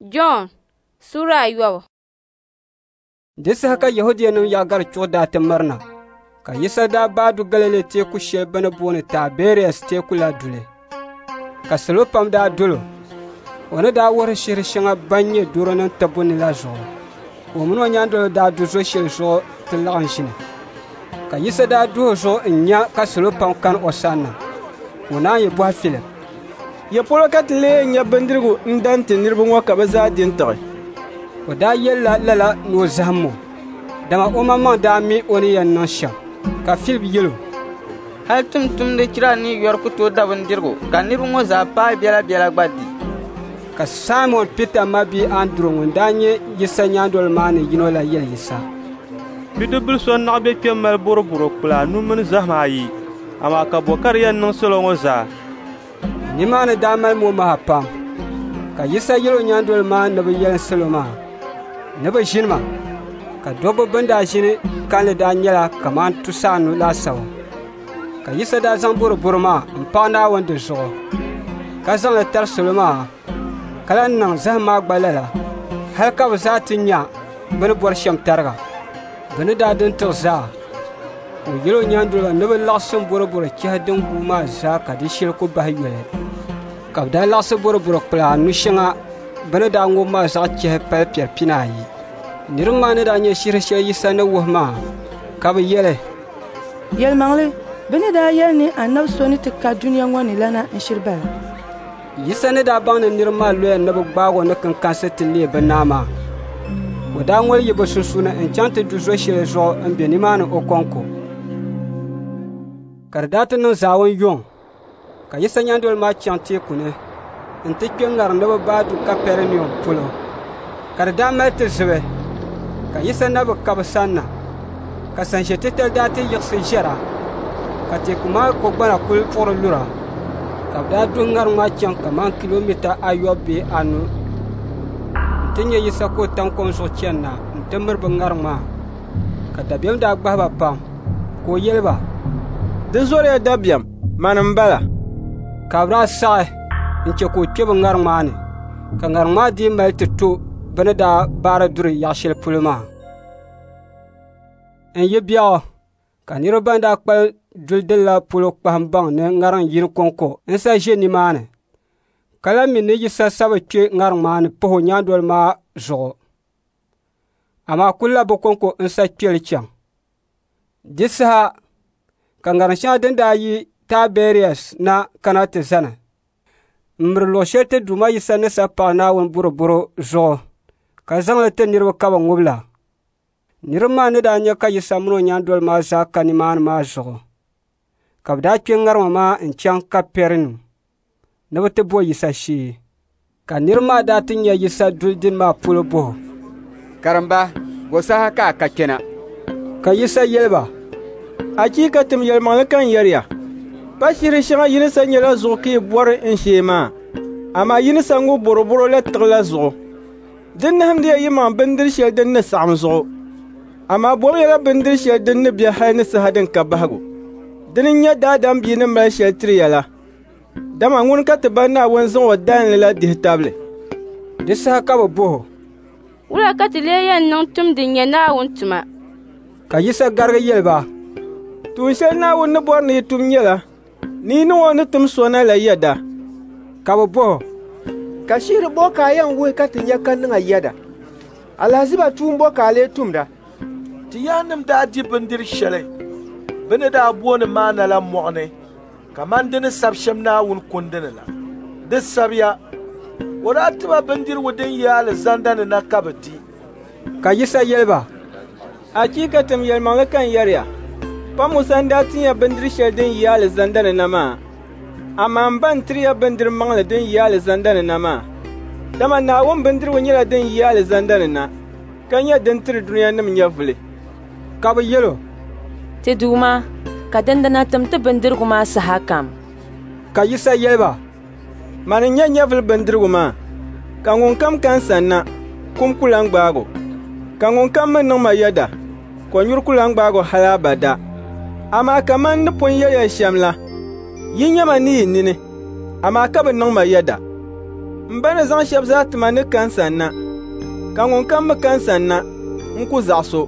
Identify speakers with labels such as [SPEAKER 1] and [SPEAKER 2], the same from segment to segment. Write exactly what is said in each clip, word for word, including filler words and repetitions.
[SPEAKER 1] Jɔn sura ayɔbu.
[SPEAKER 2] Di saha ka Yɛhudianim Yaɣigari Chuɣu daa ti mirina, ka Yisa daa baai du Galili teeku shɛli bɛ ni booni Taibɛrias Teeku la duli. Ka salo pam daa dol o, o ni daa wuhiri shihir shɛŋa ban nyɛ dɔrɔnim tibbu ni la zuɣu. Ka o min o nyaandoliba daa du zo shɛli zuɣu ti laɣim ʒini. Ka Yisa daa duh o zuɣu n-nya ka salo pam kani o sanna, ka o naan yi bɔhi Filip,
[SPEAKER 3] “Ya polo ka ti lee yɛn nya bindirigu n-da n-ti niriba ŋɔ ka bɛ zaa di n-tiɣi?”
[SPEAKER 2] O daa yɛlila lala ni o zahim o, dama omaŋmaŋ daa mi o ni yɛn niŋ shɛm. Ka Filip yɛl o,
[SPEAKER 4] “Hal tumtumdi chira nii yɔri ku tooi da bindirigu ka niriba ŋɔ zaa paai biɛlabiɛla gba di.”
[SPEAKER 2] Ka Saimɔn Pita mabia Anduru ŋun daa nyɛ Yisa nyaandoliba maa ni yino la yɛli Yisa,
[SPEAKER 5] “Bidibbil so n-naɣ be kpe m-mali bɔrɔbɔro kpula anu mini zahima ayi, amaa ka bɔ ka di yɛn niŋ salo ŋɔ zaa?”
[SPEAKER 2] Nimaani daa mali momaha pam. Ka Yisa yɛl o nyaandoliba maa ni bɛ yɛlim salo maa ni bɛ ʒinima. Ka dɔbba bɛn daa ʒini kalinli daa nyɛla kaman tusaanu laasabu. Ka Yisa daa zaŋ bɔrɔbɔro maa m-paɣi Naawuni di zuɣu, ka zaŋ li tari salo maa, ka lan niŋ zahim maa gba lala, hal ka bɛ zaa ti nya bɛ ni bɔri shɛm tariga. Bɛ ni daa di n-tiɣi zaa, ka o yɛl o nyaandoliba ni bɛ laɣisim bɔrɔbɔro chɛhi din guui maa zaa ka di shɛli ku bahi yoli. Ka bɛ daa laɣisi bɔrɔbɔro kpula anu shɛŋa bɛ ni daa ŋub maa zaɣ chɛhi pali piɛri pinaayi. Niriba maa ni daa nya shihir shɛli Yisa ni wuhi maa, ka bɛ yɛli,
[SPEAKER 6] “Yɛlimaŋli, bɛ ni daa yɛli ni anabi so ni ti ka dunia ŋɔ ni la na n-shiri bala.”
[SPEAKER 2] Yisa ni daa baŋ ni niriba maa loya ni bɛ gbaag o ni kinkansi ti leei bɛ naa maa, o daa ŋoli yi bɛ sunsuuni n-chaŋ ti du zo shɛli zuɣu m-be nimaani o kɔŋko. Ka di daa ti niŋ zaawun yuŋ, ka Yisa nyaandoliba maa chaŋ teeku ni nti kpe ŋariŋ ni bɛ baai du Kapɛrinium polo. Ka di daa mali ti zibi, ka Yisa na bi ka bɛ sanna. Ka sanʒe titali daa ti yiɣisi ʒɛra, ka teeku maa kɔgbana kul puɣiri lura. Ka bɛ daa duhi ŋariŋ maa chaŋ kaman kilomita ayɔbu bee anu nti nya Yisa ka o tam kom zuɣu chani na nti miri bɛ ŋariŋ maa. Ka dabiɛm daa gbahi ba pam, ka o yɛli ba,
[SPEAKER 3] “Di zɔriya dabiɛm, mani m-bala.”
[SPEAKER 2] Ka bɛ daa saɣi n-chɛ ka o kpe bɛ ŋariŋ maa ni, ka ŋariŋ maa dii mali ti to bɛ ni daa baari duri yaɣ shɛli polo maa. N-yi biɛɣu, ka niriba ban daa kpalim duli dil la polo kpahim baŋ ni ŋariŋ yini kɔŋko n-sa ʒe nimaani, ka lan mi ni Yisa sa bi kpe ŋariŋ maa ni pah o nyaandoliba maa zuɣu, amaa kulila bɛ kɔŋko n-sa kpe li chaŋ. Di saha ka ŋariŋ shɛŋa din daa yi Taibɛrias na kana ti zani m-miri luɣ shɛli ti Duuma Yisa ni sa paɣi Naawuni bɔrɔbɔro zuɣu ka zaŋ li ti niriba ka bɛ ŋub la. Niriba maa ni daa nya ka Yisa min o nyaandoliba maa zaa ka nimaani maa zuɣu, ka bɛ daa kpe ŋarima maa n-chaŋ Kapɛrinium ni bɛ ti bo Yisa shee. Ka niriba maa daa ti nya Yisa duli dini maa polo bɔh o,
[SPEAKER 7] “Karimba, bɔ saha ka a ka kpɛna?”
[SPEAKER 2] Ka Yisa yɛli ba,
[SPEAKER 3] “Achiikatim yɛlimaŋli ka n yɛri ya, pa shihir shɛŋa yi ni sa nya la zuɣu ka yi bɔri n shee maa, amaa yi ni sa ŋub bɔrɔbɔro la tiɣi la zuɣu. Di nahimdiya yimaŋ bindir shɛli din ni saɣim zuɣu, amaa bomiyala bindir shɛli din ni be hal ni saha din ka bahigu. Dini n-nyɛ Daadam Bia ni mali shɛli tiri ya la, dama ŋuni ka ti Ba Naawuni zaŋ o dalinli la dihi tabili.”
[SPEAKER 2] Di saha ka bɛ bɔh o,
[SPEAKER 1] “Wula ka ti lee yɛn niŋ tum din nyɛ Naawuni tuma?” Ka
[SPEAKER 2] Yisa garigi yɛli ba,
[SPEAKER 3] “Tuun shɛli Naawuni ni bɔri ni yi tum nyɛla ni yi niŋ o ni tim so na la yɛda.”
[SPEAKER 2] Ka bɛ bɔh o,
[SPEAKER 8] “Ka shihir bɔ ka a yɛn wuhi ka ti nya ka niŋ a yɛda? Alahiziba tuun bɔ ka a lee tumda?
[SPEAKER 9] Ti yaannim daa di bindir shɛli bɛ ni daa booni maana la mɔɣu ni kaman di ni sab shɛm Naawuni Kundi ni la. Di sabiya, o daa ti ba bindirigu din yi alizanda ni na ka bɛ di.”
[SPEAKER 2] Ka Yisa yɛli ba,
[SPEAKER 3] “Achiikatim yɛlimaŋli ka n yɛri ya, pa Musa n-daa tin ya bindir shɛli din yi alizanda ni na maa, amaa m Ba n-tiri ya bindir maŋli din yi alizanda ni na maa. Dama Naawuni bindirigu nyɛla din yi alizanda ni na, ka nyɛ din tiri dunianim nyɛvili.”
[SPEAKER 2] Ka bɛ yɛl o,
[SPEAKER 10] “Ti Duuma, ka dindina tim ti bindirigu maa sahakam.”
[SPEAKER 2] Ka Yisa yɛli ba,
[SPEAKER 3] “Mani n-nyɛ nyɛvili bindirigu maa, ka ŋunkam ka n sanna, kum ku lan gbaag o, ka ŋunkam mi niŋ ma yɛda, kɔnyuri ku lan gbaag o hal abada. Amaa kaman n ni pun yɛli ya shɛm la, yi nya ma ni yi nini, amaa ka bi niŋ ma yɛda. M Ba ni zaŋ shɛba zaa ti ma ni ka n sanna, ka ŋunkam mi ka n sanna, n ku zaɣis o.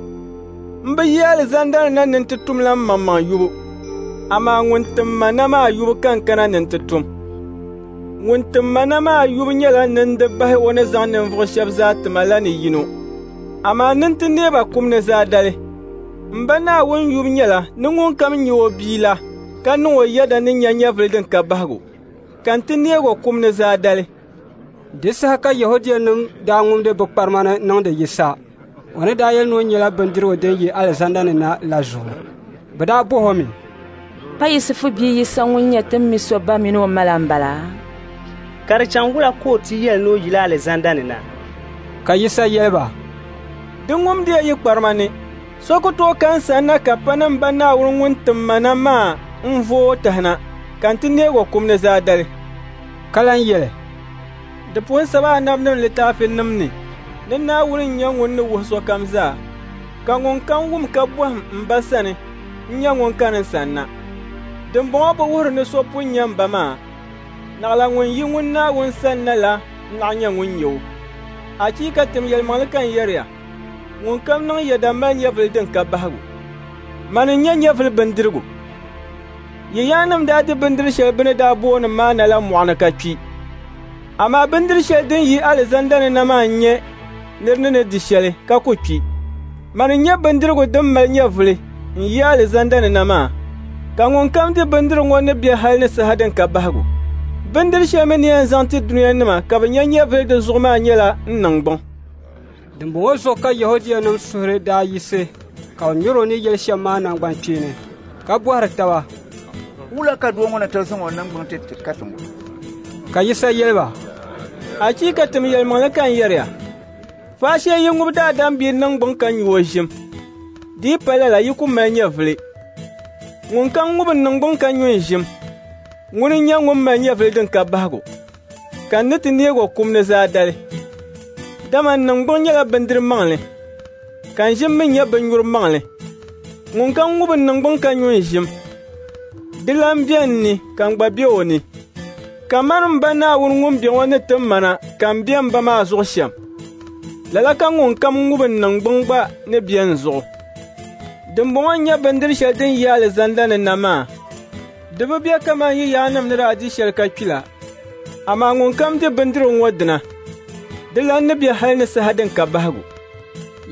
[SPEAKER 3] M bi yi alizanda ni na ni n ti tumla mmaŋmaŋ yubu, amaa ŋun tim ma na maa yubu ka n kana ni n ti tum. Ŋun tim ma na maa yubu nyɛla ni n di bahi o ni zaŋ ninvuɣ shɛba zaa ti ma la ni yino, amaa ni n ti neei ba kum ni zaadali. M Ba Naawuni yubu nyɛla ni ŋunkam nya o Bia la ka niŋ o yɛda ni nya nyɛvili din ka bahigu, ka n ti neeg o kum ni zaadali.»
[SPEAKER 2] Di saha ka Yɛhudianim daa ŋumdi bɛ kparima ni niŋdi Yisa, o ni daa yɛli ni o nyɛla bindirigu din yi alizanda ni na la zuɣu. Bɛ daa bɔh o mi,
[SPEAKER 10] Pa Yisifu bia Yisa ŋun nyɛ ti ni mi so ba min o ma la m-bala?
[SPEAKER 11] Ka di chaŋ wula ka o ti yɛli ni o yila alizanda ni na?»
[SPEAKER 2] Ka Yisa yɛli ba,
[SPEAKER 3] «Di ŋumdiya yi kparima ni. So ku tooi ka n sanna ka pa ni m Ba Naawuni ŋun tim ma na maa n-vooi o tahina, ka n ti neeg o kum ni zaadali.»
[SPEAKER 2] Ka lan yɛli,
[SPEAKER 3] «Di pun sabi anabinim litaafinim ni ni Naawuni n-nyɛ ŋun ni wuhi sokam zaa, ka ŋunkam wum ka bɔhim m Ba sani n-nyɛ ŋun kani n sanna. Dimbɔŋɔ bi wuhiri ni so pun nya m Ba maa, naɣila ŋun yi ŋun Naawuni sanna la n-naɣ nyɛ ŋun nya o. Achiikatim yɛlimaŋli ka n yɛri ya, ŋunkam niŋ yɛda mali nyɛvili din ka bahigu. Mani n-nyɛ nyɛvili bindirigu. Yi yaannim daa di bindiri shɛli bɛ ni daa booni maana la mɔɣu ni ka kpi. Amaa bindiri shɛli din yi alizanda ni na maa n-nyɛ nir ni ni di shɛli ka ku kpi. Mani n-nyɛ bindirigu din mali nyɛvili n-yi alizanda ni na maa, ka ŋunkam di bindirigu ŋɔ ni be hal ni saha din ka bahigu. Bindiri shɛli mi ni yɛn zaŋ ti dunianima ka bɛ nya nyɛvili di zuɣu maa nyɛla n niŋgbuŋ.»
[SPEAKER 2] Dimbɔŋɔ zuɣu ka Yɛhudianim suhuri daa yiɣisi ka bɛ ŋmer o ni yɛli shɛm maa naŋgbankpeeni, ka bɔhiri taba,
[SPEAKER 12] «Wula ka doo ŋɔ na tooi zaŋ o niŋgbuŋ ti ti ka ti ŋubi?»
[SPEAKER 2] Ka Yisa yɛli ba,
[SPEAKER 3] «Achiikatim yɛlimaŋli ka n yɛri ya, faashee yi ŋubi Daadam Bia niŋgbuŋ ka nyu o ʒim, di yi pa lala yi ku mali nyɛvili. Ŋunkam ŋubi n niŋgbuŋ ka nyu n ʒim, ŋuni n-nyɛ ŋun mali nyɛvili din ka bahigu, ka n ni ti neeg o kum ni zaadali. Dama n niŋgbuŋ nyɛla bindiri maŋli, ka n ʒim mi nyɛ binnyuri maŋli. Ŋunkam ŋubi n niŋgbuŋ ka nyu n ʒim, dilan be n ni ka n gba be o ni. Kaman m Ba Naawuni ŋun be ŋɔ ni tim ma na ka m be m Ba maa zuɣu shɛm, lala ka ŋunkam ŋubi n niŋgbuŋ gba ni be n zuɣu. Dimbɔŋɔ n-nyɛ bindiri shɛli din yi alizanda ni na maa. Di bi be kaman yi yaannim ni daa di shɛli ka kpi la, amaa ŋunkam di bindirigu ŋɔ dina, dilan ni be hal ni saha din ka bahigu.»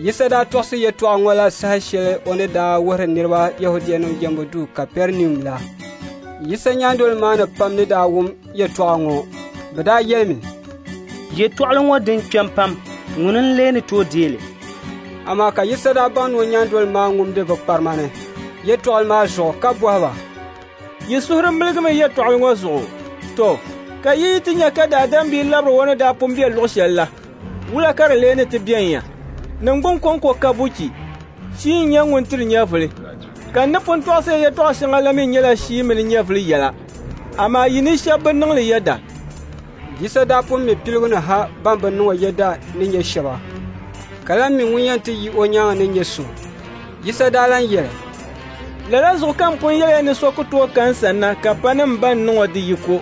[SPEAKER 2] Yisa daa tɔɣisi yɛtɔɣa ŋɔ la saha shɛli o ni daa wuhiri niriba Yɛhudianim jɛmbu duu Kapɛrinium la. Yisa nyaandoliba maa ni pam ni daa wum yɛtɔɣa ŋɔ, bɛ daa yɛlimi,
[SPEAKER 11] «Yɛtɔɣili ŋɔ din kpɛm pam, ŋuni n-lee ni tooi deei li?»
[SPEAKER 2] Amaa ka Yisa daa baŋ ni o nyaandoliba maa ŋumdi bɛ kparima ni yɛtɔɣili maa zuɣu ka bɔhi ba,
[SPEAKER 3] «Yi suhuri miligimi yɛtɔɣili ŋɔ zuɣu? To, ka yi yi ti nya ka Daadam Bia labiri o ni daa pun be luɣ shɛl la, wula ka di lee ni ti bɛn ya? Niŋgbuŋ kɔŋko ka buchi, shia n-nyɛ ŋun tiri nyɛvili. Ka n ni pun tɔɣisi ya yɛtɔɣ shɛŋa la mi nyɛla shia mini nyɛvili yɛla, amaa yi ni shɛba bi niŋ li yɛda.»
[SPEAKER 2] Yisa daa pun mi piligu ni ha ban bi niŋ o yɛda ni nyɛ shɛba, ka lan mi ŋun yɛn ti yi o nyaaŋa ni nyɛ so. Yisa daa lan yɛli,
[SPEAKER 3] «Lala zuɣu ka m pun yɛli ya ni so ku tooi ka n sanna ka pa ni m Ba n-niŋ o di yiko.»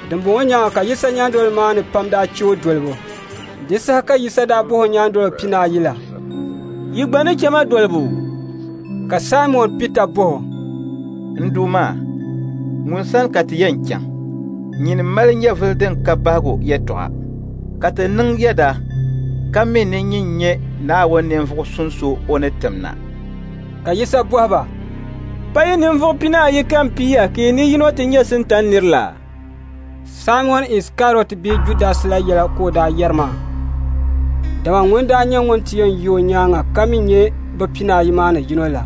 [SPEAKER 2] Dimbɔŋɔ nyaaŋa ka Yisa nyaandoliba maa ni pam daa chɛ o dolibu. Di saha ka Yisa daa bɔh o nyaandoliba pinaayi la,
[SPEAKER 3] «Yi gba ni chɛ ma dolibu?»
[SPEAKER 2] Ka Saimɔn Pita bɔh o,
[SPEAKER 12] «N Duuma, ŋun sani ka ti yɛn chaŋ? Nyini mali nyɛvili din ka bahigu yɛtɔɣa, ka ti niŋ yɛda ka mi ni nyin nyɛ Naawuni ninvuɣ suŋ so o ni tim na.»
[SPEAKER 2] Ka Yisa bɔhi ba,
[SPEAKER 3] «Pa yi ninvuɣ pinaayi ka m piiya ka yi ni yino ti nyɛ Sintani nir la?»
[SPEAKER 2] Saimɔn Isikariɔt bia Judas la yɛla ka o daa yɛri maa, dama ŋuni daa nyɛ ŋun ti yɛn yi o nyaaŋa ka mi nyɛ bɛ pinaayi maa ni yino la.